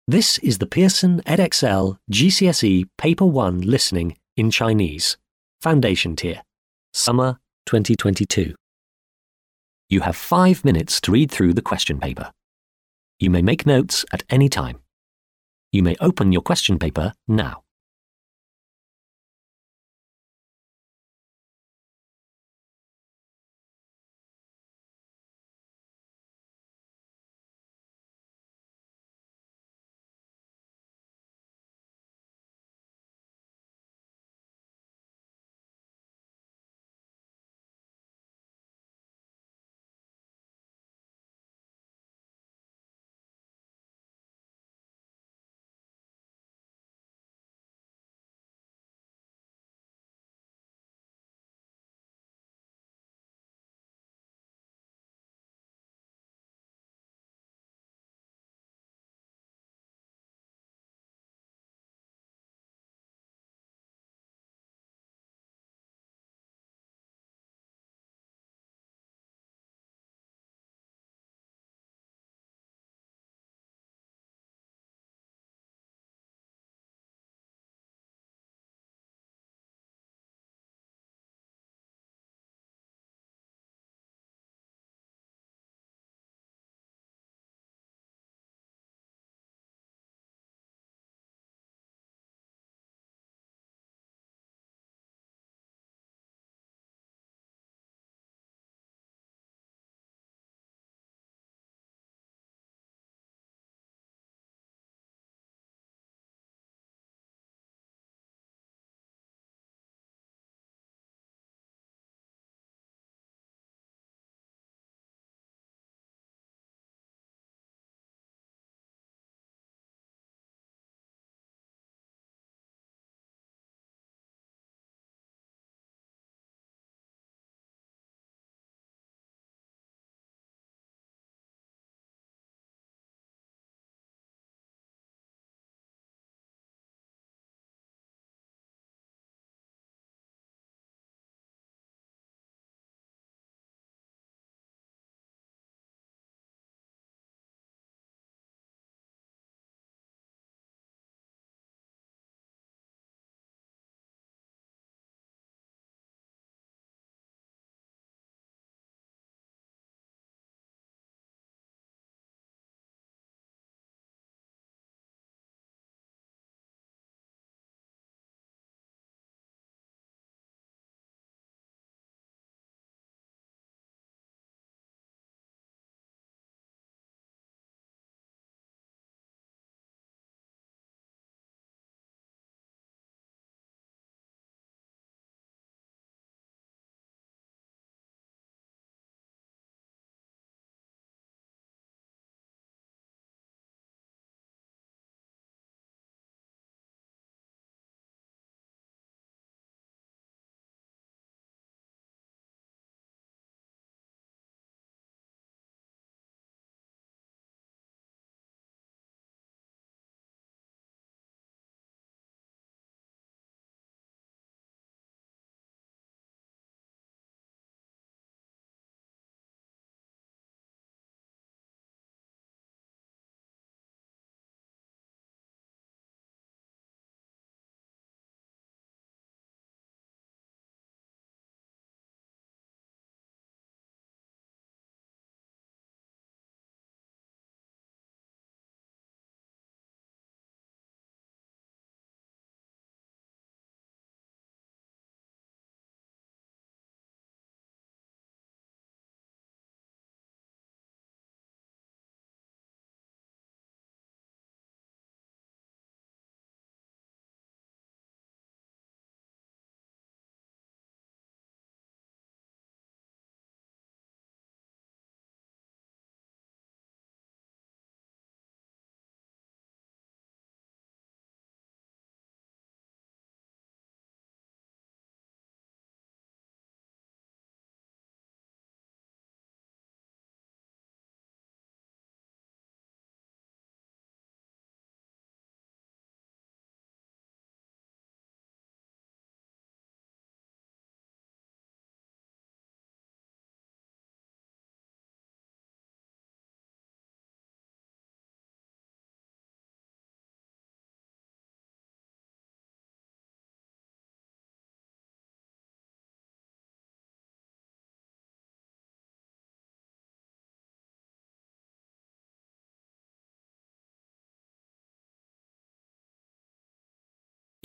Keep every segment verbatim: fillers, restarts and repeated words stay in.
This is the Pearson Edexcel G C S E Paper one Listening in Chinese, Foundation Tier, Summer twenty twenty-two. You have five minutes to read through the question paper. You may make notes at any time. You may open your question paper now.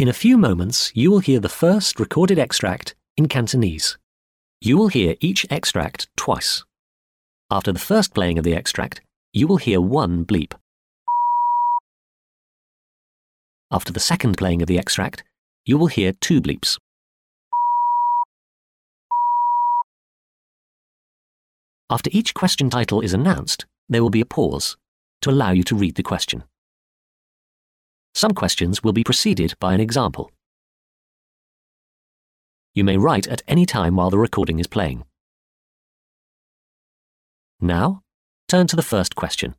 In a few moments, you will hear the first recorded extract in Cantonese. You will hear each extract twice. After the first playing of the extract, you will hear one bleep. After the second playing of the extract, you will hear two bleeps. After each question title is announced, there will be a pause to allow you to read the question. Some questions will be preceded by an example. You may write at any time while the recording is playing. Now, turn to the first question.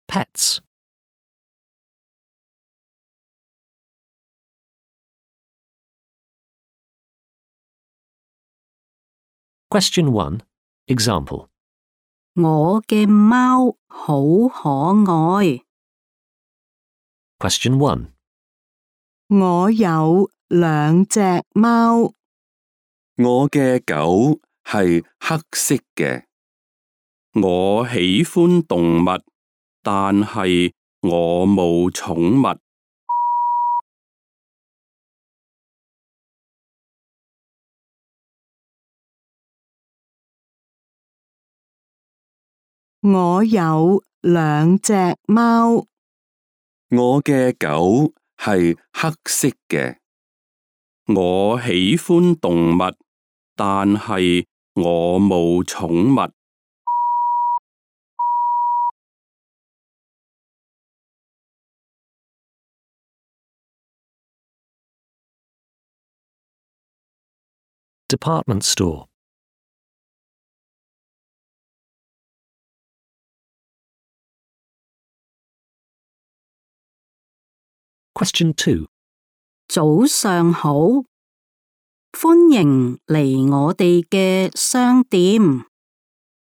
Pets. Question one. Example. 我嘅貓好可愛。 Question one. 我有兩隻貓。我嘅狗係黑色嘅。我喜歡動物，但係我冇寵物。我有兩隻貓。我嘅狗係黑色嘅。我喜歡動物，但係我冇寵物。Department store. Question two. 早上好，歡迎嚟我哋嘅商店，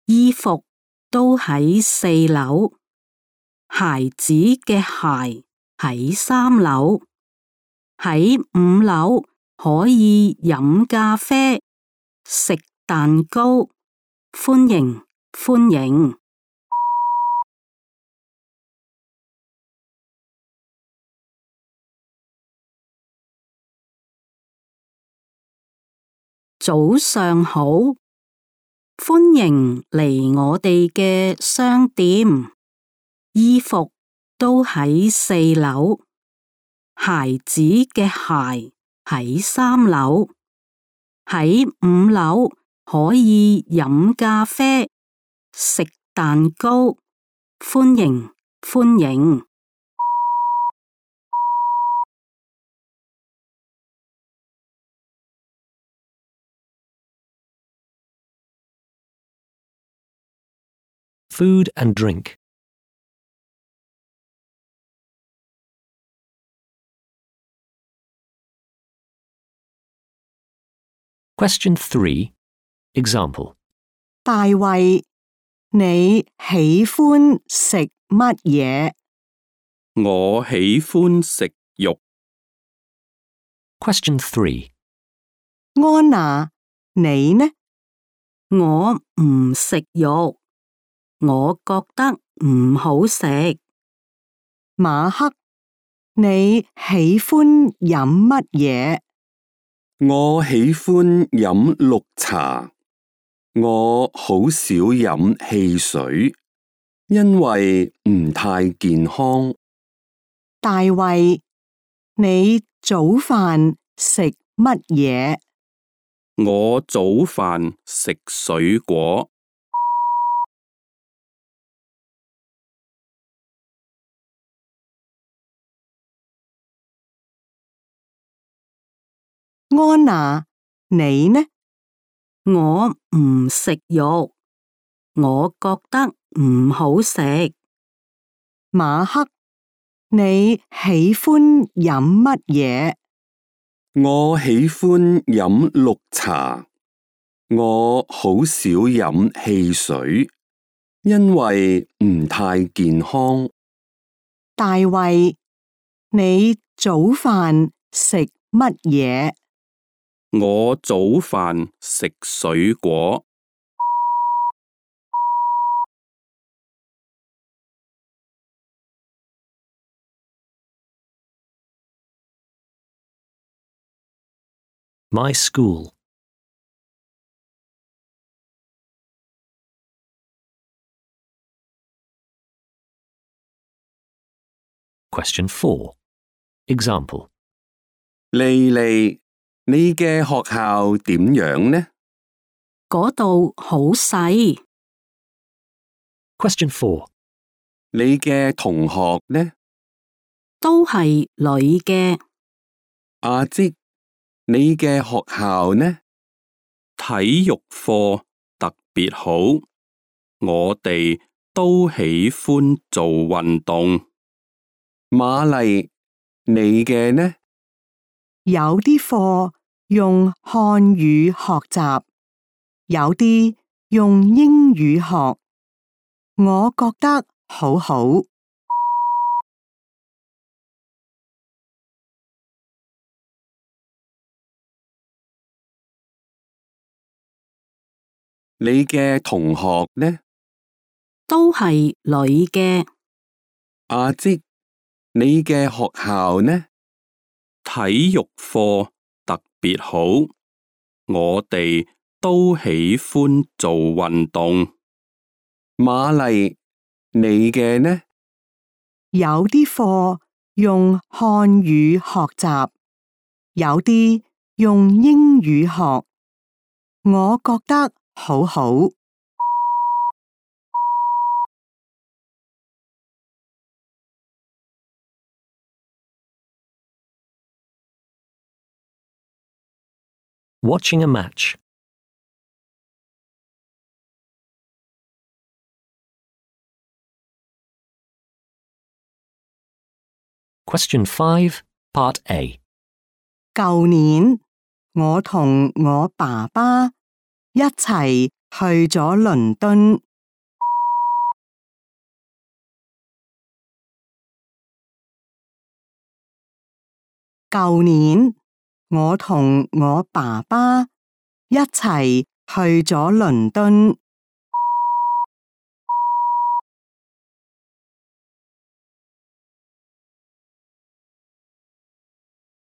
衣服都喺四樓，孩子嘅鞋喺三樓，喺五樓可以飲咖啡、食蛋糕，歡迎歡迎。早上好，歡迎嚟我哋嘅商店，衣服都喺四樓，孩子嘅鞋喺三樓，喺五樓可以飲咖啡、食蛋糕，歡迎歡迎。Food and drink. Question three. Example. 大衛，你喜歡食乜嘢？我喜歡食肉。Question three. 安娜，你呢？我唔食肉，我覺得唔好食。馬克，你喜歡飲乜嘢？我喜歡飲綠茶。我好少飲汽水，因為唔太健康。大衛，你早飯食乜嘢？我早飯食水果。安娜，你呢？我唔食肉，我覺得唔好食。馬克，你喜歡飲乜嘢？我喜歡飲綠茶。我好少飲汽水，因為唔太健康。大衛，你早飯食乜嘢？我早飯食水果。My school. Question four. Example.莉莉，你嘅學校點樣呢？嗰度好細。Question four. 你嘅同學呢？都係女嘅。阿積，你嘅學校呢？體育課特別好，我哋都喜歡做運動。瑪麗，你嘅呢？有啲課用漢語學習，有啲用英語學，我覺得好好。你嘅同學呢？都係女嘅。阿積，你嘅學校呢？體育課特別好，我哋都喜歡做運動。瑪麗，你嘅呢？有啲課用漢語學習，有啲用英語學，我覺得好好。Watching a match. Question five, Part A. 舊年我同我爸爸一齊去咗倫敦。舊年我同我爸爸一齊去咗倫敦。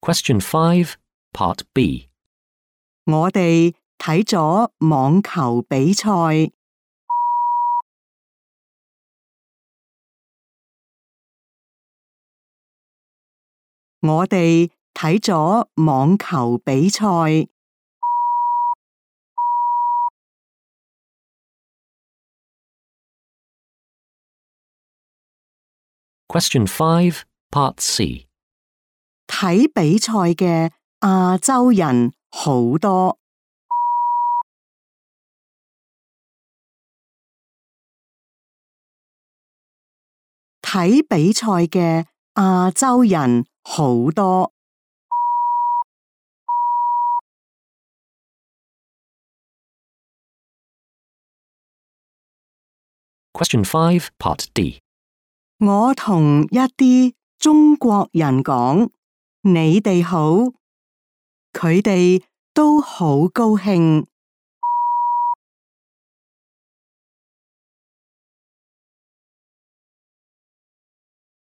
Question five, Part B. 我哋睇咗網球比賽。我哋睇咗網球比賽。Question five, Part C. 睇比賽嘅亞洲人好多。睇比賽嘅亞洲人好多。Question five, Part D. 我同一啲中國人講，你哋好，佢哋都好高興。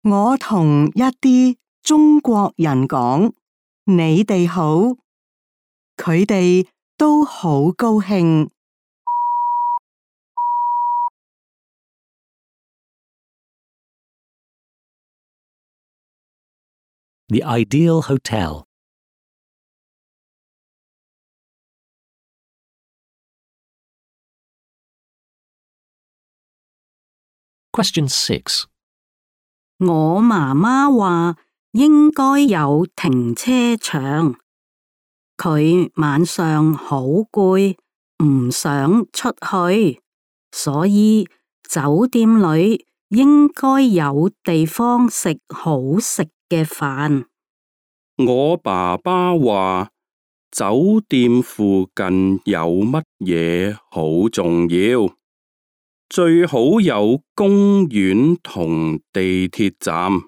我同一啲中國人講，你哋好，佢哋都好高興。The ideal hotel. Question six. 我媽媽話應該有停車場，佢晚上好攰，唔想出去，所以酒店裏應該有地方食好食嘅飯。我爸爸話酒店附近有乜嘢好重要，最好有公園同地鐵站。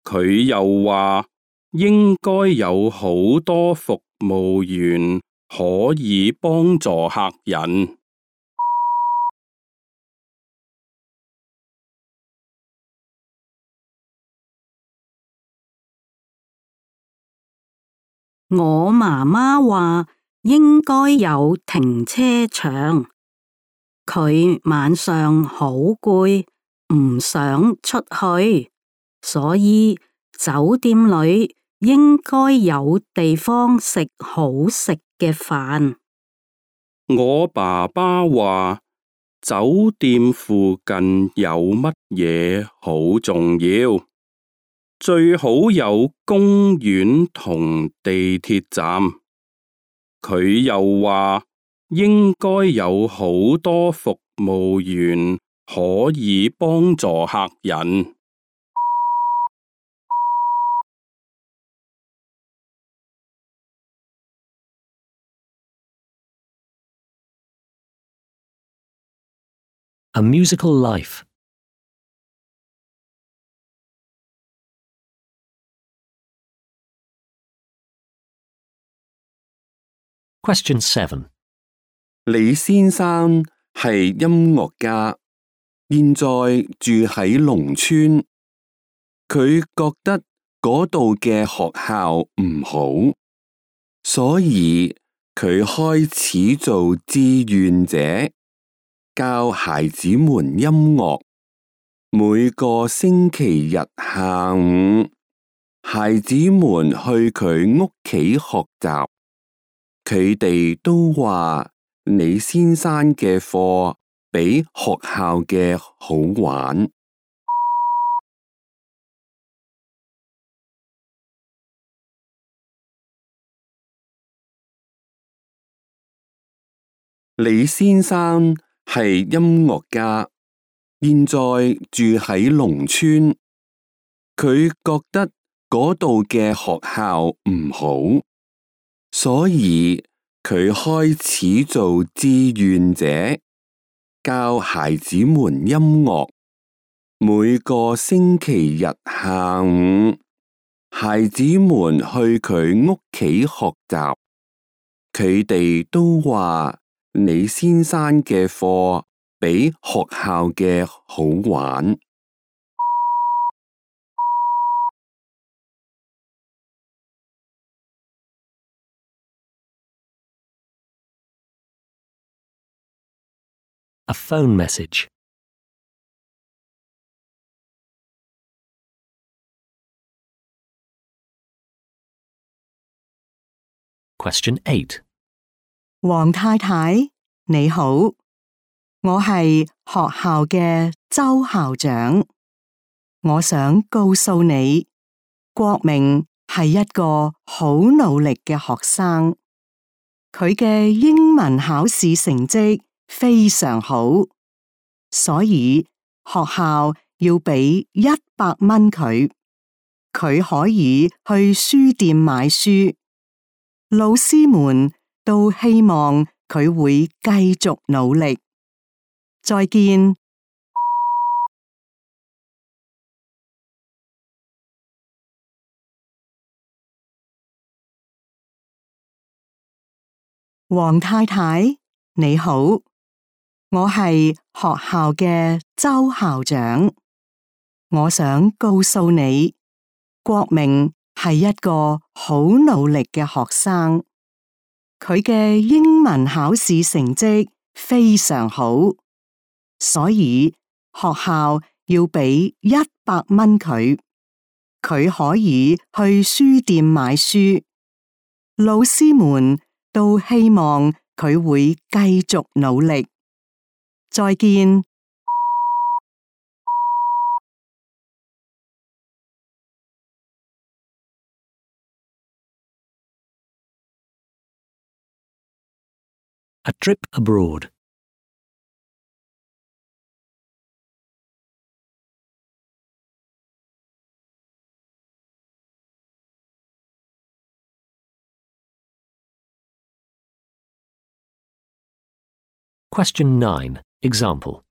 佢又話應該有好多服務員可以幫助客人。我媽媽話應該有停車場，佢晚上好攰，唔想出去，所以酒店裏應該有地方食好食嘅飯。我爸爸話酒店附近有乜嘢好重要，最好有公園同地鐵站。佢又話應該有好多服務員可以幫助客人。A musical life. Question seven. 李先生係音樂家，現在住喺農村。佢覺得嗰度嘅學校唔好，所以佢開始做志願者，教孩子們音樂。每個星期日下午，孩子們去佢屋企學習。佢哋都話李先生嘅課比學校嘅好玩。李先生係音樂家，現在住喺農村。佢覺得嗰度嘅學校唔好，所以佢開始做志願者，教孩子們音樂。每個星期日下午，孩子們去佢屋企學習。佢哋都話李先生嘅課比學校嘅好玩。A phone message. Question eight. 黃太太，你好，我係學校嘅周校長。我想告訴你，國明係一個好努力嘅學生，佢嘅英文考試成績非常好，所以學校要俾一百蚊佢，佢可以去書店買書。老師們都希望佢會繼續努力。再見。黃太太，你好，我係學校嘅周校長。我想告訴你，國明係一個好努力嘅學生，佢嘅英文考試成績非常好，所以學校要俾一百蚊佢，佢可以去書店買書。老師們都希望佢會繼續努力。再見。A trip abroad. Question nine. Example.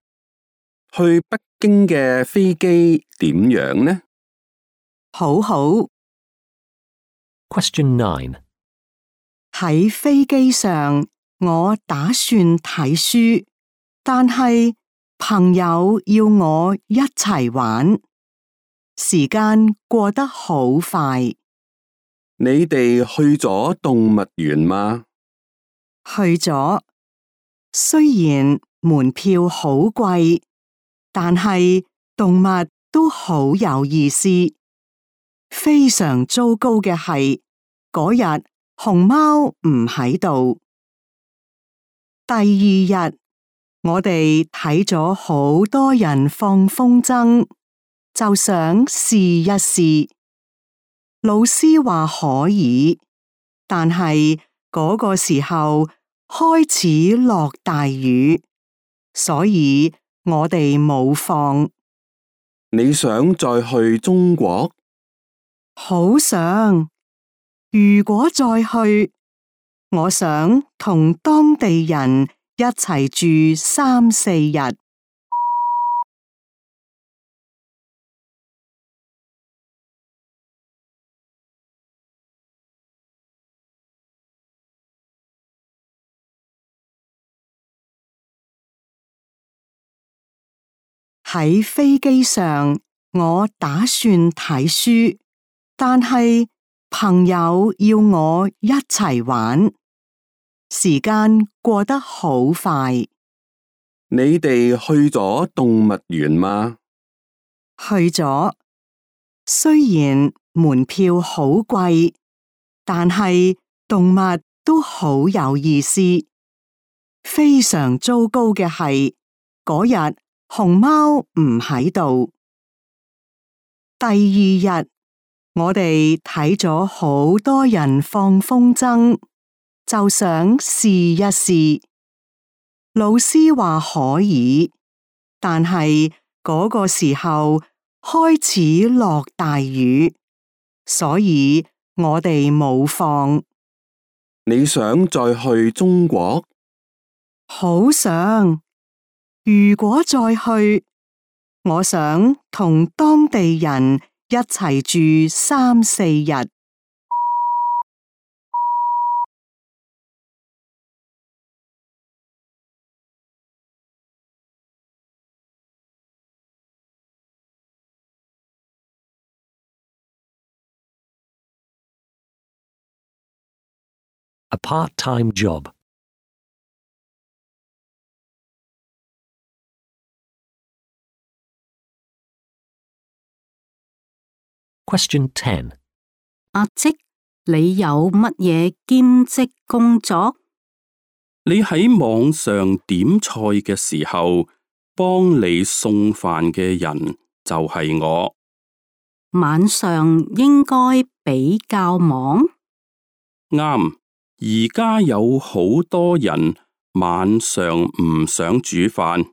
去北京嘅飛機點樣呢？好好。Question nine. 喺飛機上，我打算睇書，但係朋友要我一齊玩，時間過得好快。你哋去咗動物園嗎？去咗，雖然門票好貴，但係動物都好有意思。非常糟糕嘅係，嗰日熊貓唔喺度。第二日，我哋睇咗好多人放風箏，就想試一試。老師話可以，但係嗰個時候開始落大雨，所以我哋冇放。你想再去中國？好想，如果再去，我想同當地人一齊住三四日。喺飛機上，我打算睇書，但係朋友要我一齊玩，時間過得好快。你哋去咗動物園嗎？去咗，雖然門票好貴，但係動物都好有意思。非常糟糕嘅係，嗰日熊貓唔喺度。第二日，我哋睇咗好多人放風箏，就想試一試。老師話可以，但係嗰個時候開始落大雨，所以我哋冇放。你想再去中國？好想，如果再去，我想同當地人一齊住三四日。A part-time job. Question ten. 阿即，你有乜嘢兼職工作？你喺網上點菜嘅時候，幫你送飯嘅人就係我。晚上應該比較忙。啱，而家有好多人晚上唔想煮飯，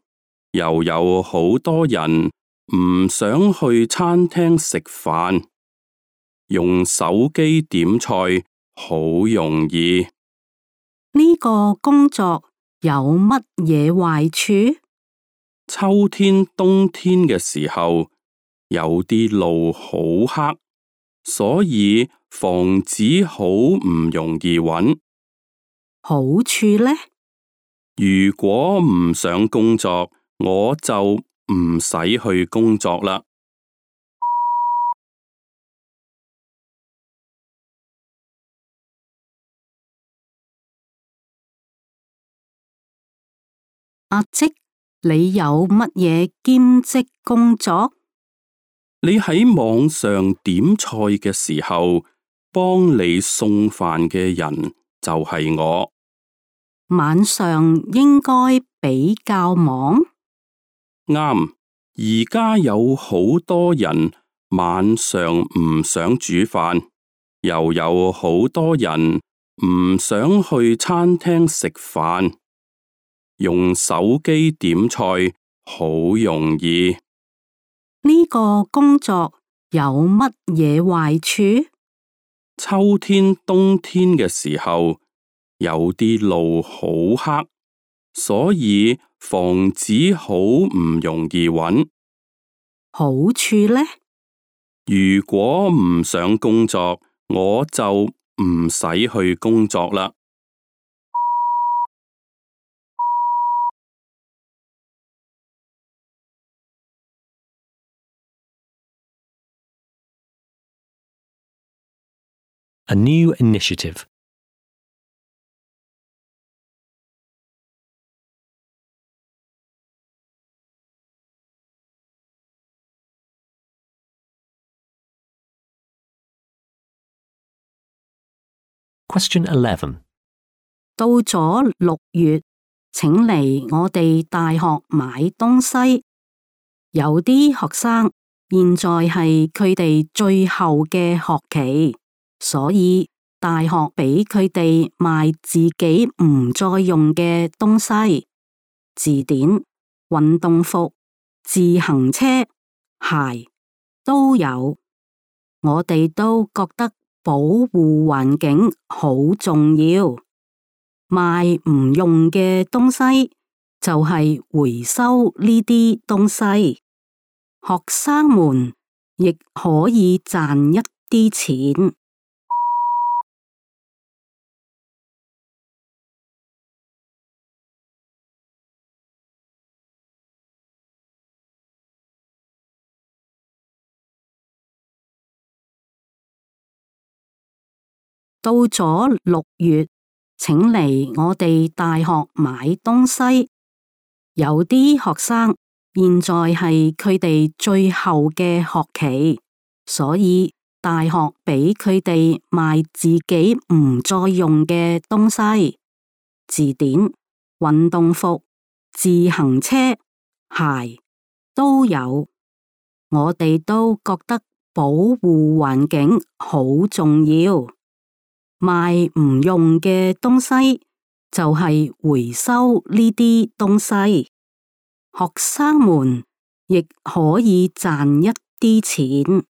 又有好多人唔想去餐廳食飯，用手機點菜好容易。呢個工作有乜嘢壞處？秋天、冬天嘅時候，有啲路好黑，所以房子好唔容易揾。好處呢？如果唔想工作，我就唔使去工作啦。阿即，你有乜嘢兼職工作？你喺網上點菜嘅時候，幫你送飯嘅人就係我。晚上應該比較忙。啱，而家有好多人晚上唔想煮飯，又有好多人唔想去餐廳食飯，用手機點菜好容易。呢個工作有乜嘢壞處？秋天、冬天嘅時候，有啲路好黑，所以房子好唔容易揾。好處呢？如果唔想工作，我就唔使去工作啦。A new initiative. Question eleven. 到咗六月，請嚟我哋大學買東西。有啲學生現在係佢哋最後嘅學期，所以大學俾佢哋賣自己唔再用嘅東西，字典、運動服、自行車、鞋都有。我哋都覺得保護環境好重要，賣唔用嘅東西就係回收呢啲東西，學生們亦可以賺一啲錢。到咗六月，請嚟我哋大學買東西。有啲學生現在係佢哋最後嘅學期，所以大學俾佢哋賣自己唔再用嘅東西，字典、運動服、自行車、鞋都有。我哋都覺得保護環境好重要。賣唔用嘅東西就係回收呢啲東西，學生們亦可以賺一啲錢。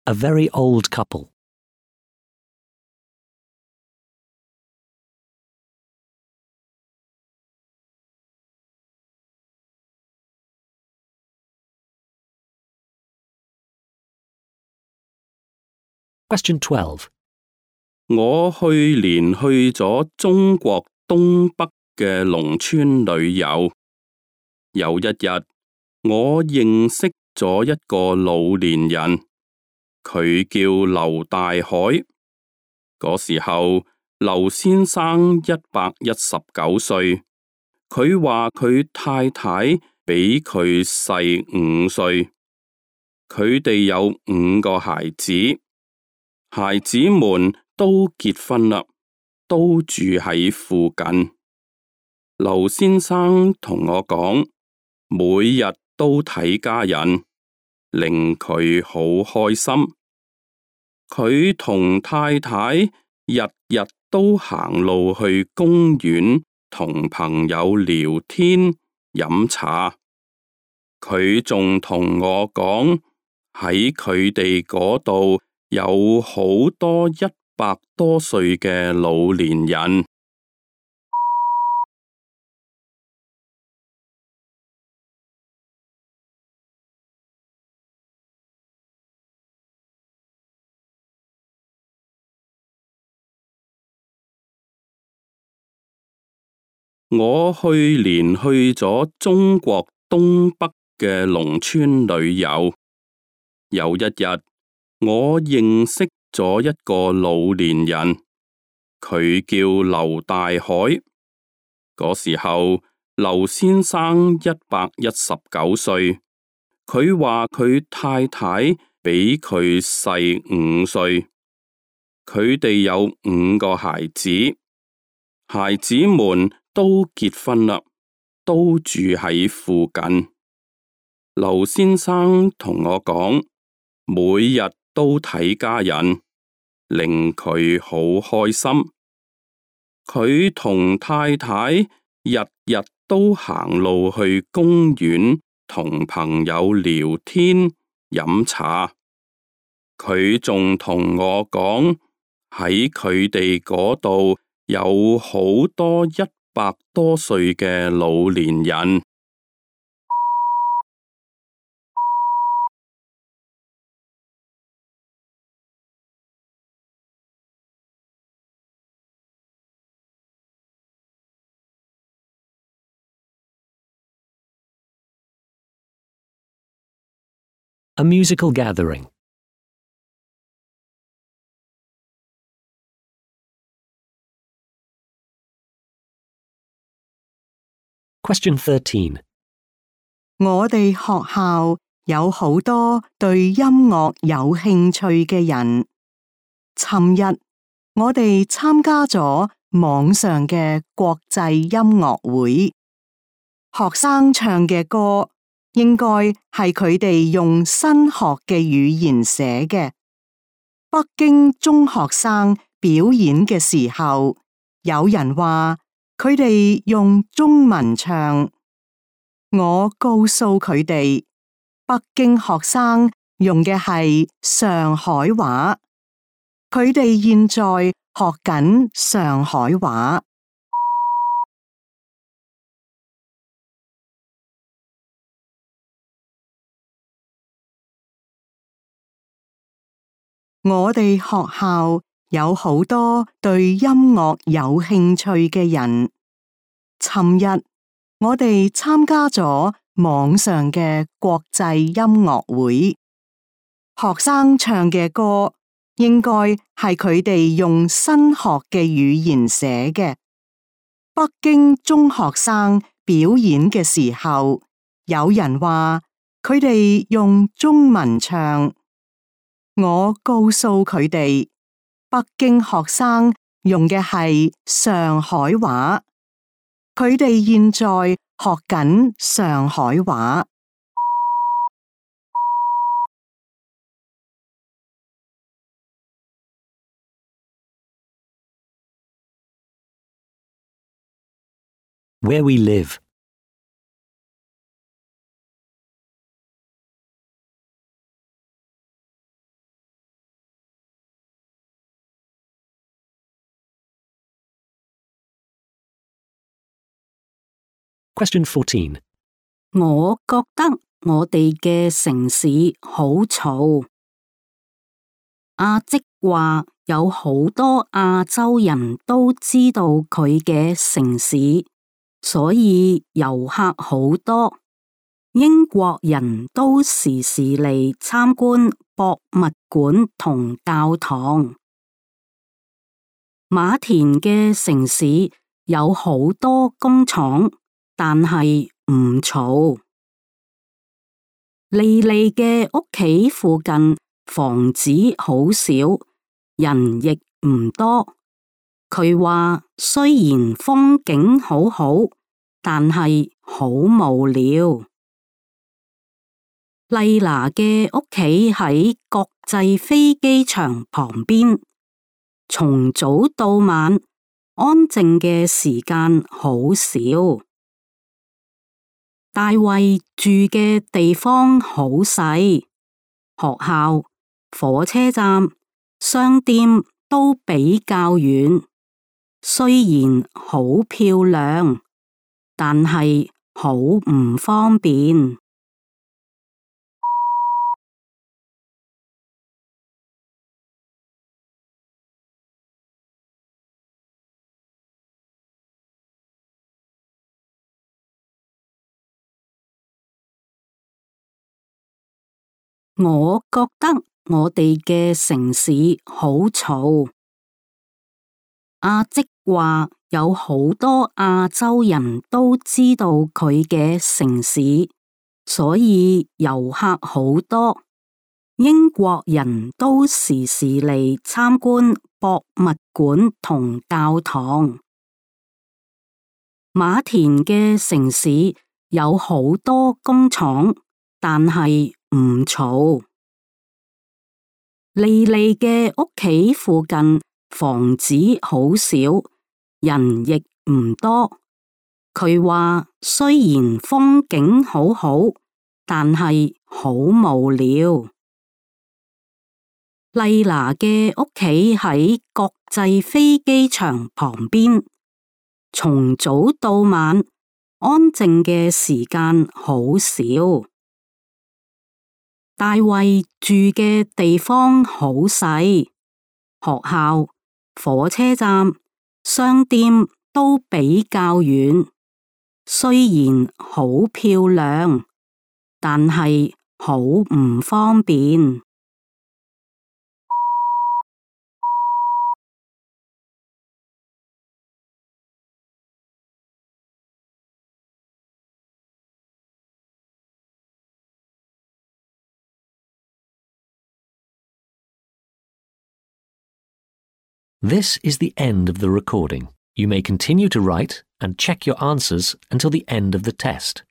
A very old couple. Question twelve. 我去年去咗中國東北嘅農村旅遊，有一日我認識咗一個老年人，佢叫劉大海。嗰時候劉先生一百一十九歲，佢話佢太太比佢細五歲，佢哋有五個孩子，孩子們都結婚啦，都住喺附近。劉先生同我講，每日都睇家人，令佢好開心。佢同太太日日都行路去公園同朋友聊天飲茶。佢仲同我講，喺佢哋嗰度有好多一百多歲嘅老年人。我去年去咗中國東北嘅農村旅遊，有一日我認識咗一個老年人，佢叫劉大海。嗰時候劉先生一百一十九歲，佢話佢太太比佢細五歲，佢哋有五個孩子，孩子們都結婚啦，都住喺附近。劉先生同我講，每日都睇家人，令佢好開心。佢同太太日日都行路去公園同朋友聊天飲茶。佢仲同我講，喺佢哋嗰度有好多一百多歲嘅老年人。A musical gathering. Question thirteen. 我哋學校有好多對音樂有興趣嘅人。尋日我哋參加咗網上嘅國際音樂會，學生唱嘅歌應該係佢哋用新學嘅語言寫嘅。北京中學生表演嘅時候，有人話佢哋用中文唱。我告訴佢哋，北京學生用嘅係上海話，佢哋現在學緊上海話。我哋學校有好多對音樂有興趣嘅人。尋日我哋參加咗網上嘅國際音樂會，學生唱嘅歌應該係佢哋用新學嘅語言寫嘅。北京中學生表演嘅時候，有人話佢哋用中文唱。我告訴佢哋，北京學生用嘅係上海話。佢哋現在學緊上海話。Where we live. Question fourteen. 我覺得我哋嘅城市好嘈。阿即話有好多亞洲人都知道佢嘅城市，所以遊客好多。英國人都時時嚟參觀博物館同教堂。馬田嘅城市有好多工廠，但係唔嘈。莉莉嘅屋企附近房子好少，人亦唔多。佢話雖然風景好好，但係好無聊。麗娜嘅屋企喺國際飛機場旁邊，從早到晚安靜嘅時間好少。大衛住嘅地方好細，學校、火車站、商店都比較遠。雖然好漂亮，但係好唔方便。我覺得我哋嘅城市好嘈。阿即話有好多亞洲人都知道佢嘅城市，所以遊客好多。英國人都時時嚟參觀博物館同教堂。馬田嘅城市有好多工廠，但係唔嘈。莉莉嘅屋企附近房子好少，人亦唔多。佢話雖然風景好好，但係好無聊。麗娜嘅屋企喺國際飛機場旁邊，從早到晚安靜嘅時間好少。大衛住嘅地方好細，學校、火車站、商店都比較遠。雖然好漂亮，但係好唔方便。This is the end of the recording. You may continue to write and check your answers until the end of the test.